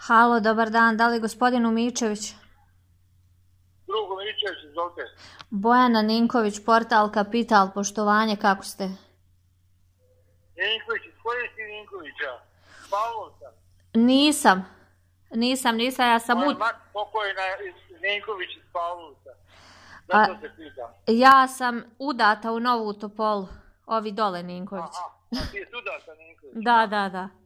Halo, dobar dan, da li je gospodin Umičević? Drugo Miličević, izvolite. Bojana Ninković, portal Kapital, poštovanje, kako ste? Ninković, iz koje si Ninkovića? Pavlovca? Nisam, ja sam Moja mati pokojna iz Ninković iz Pavlovca. A, Zato se pitam. ja sam udata u Novu Topolu, ovi dole Ninković. Aha, a ti je udata Ninković? Da.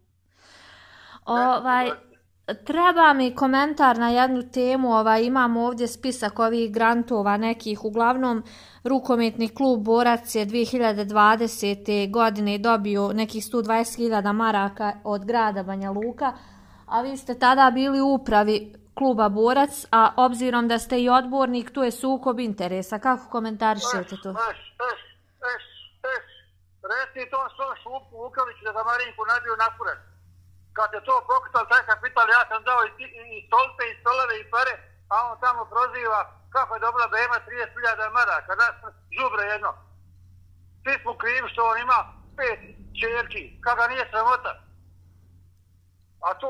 Treba mi komentar na jednu temu, imamo ovdje spisak ovih grantova nekih, uglavnom rukometni klub Borac je 2020. godine dobio nekih 120.000 maraka od grada Banja Luka, a vi ste tada bili u upravi kluba Borac, a obzirom da ste i odbornik, tu je sukob interesa. Kako komentarišete to? Reci to svom Šupu Vukaliću da ga Marinku nabio na kurac. Kad je to pokretal taj Kapital, ja sam dao i stolpe, i stolove, i pare, a on tamo proziva kako je dobila BM 30.000 maraka, da žubre jedno. Svi smo krivi što on ima 5 čerki, kako ga nije sramota. A to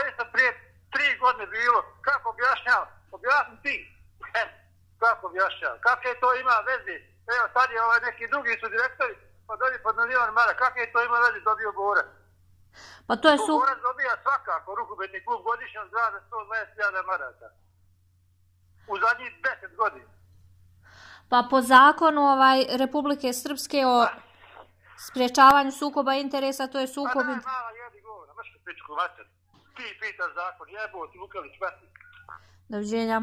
je sad prije 3 godine bilo, kako objašnjava? Objasni ti. Kako objašnjava? Kakve to ima veze? Evo sad je neki drugi su direktori, pa dobiju pod milion maraka, kakve to ima veze dobio Borac? Pa to je Borac dobija svakako rukometni klub godišnje od grada 120.000 maraka. U zadnjih 10 godina. Pa po zakonu Republike Srpske o sprječavanju sukoba interesa, to je sukob interesa. Pa mala jedi govora, mršku pičku mater. Ti pitaš zakon, jebo ti Vukalić, mati. Doviđenja.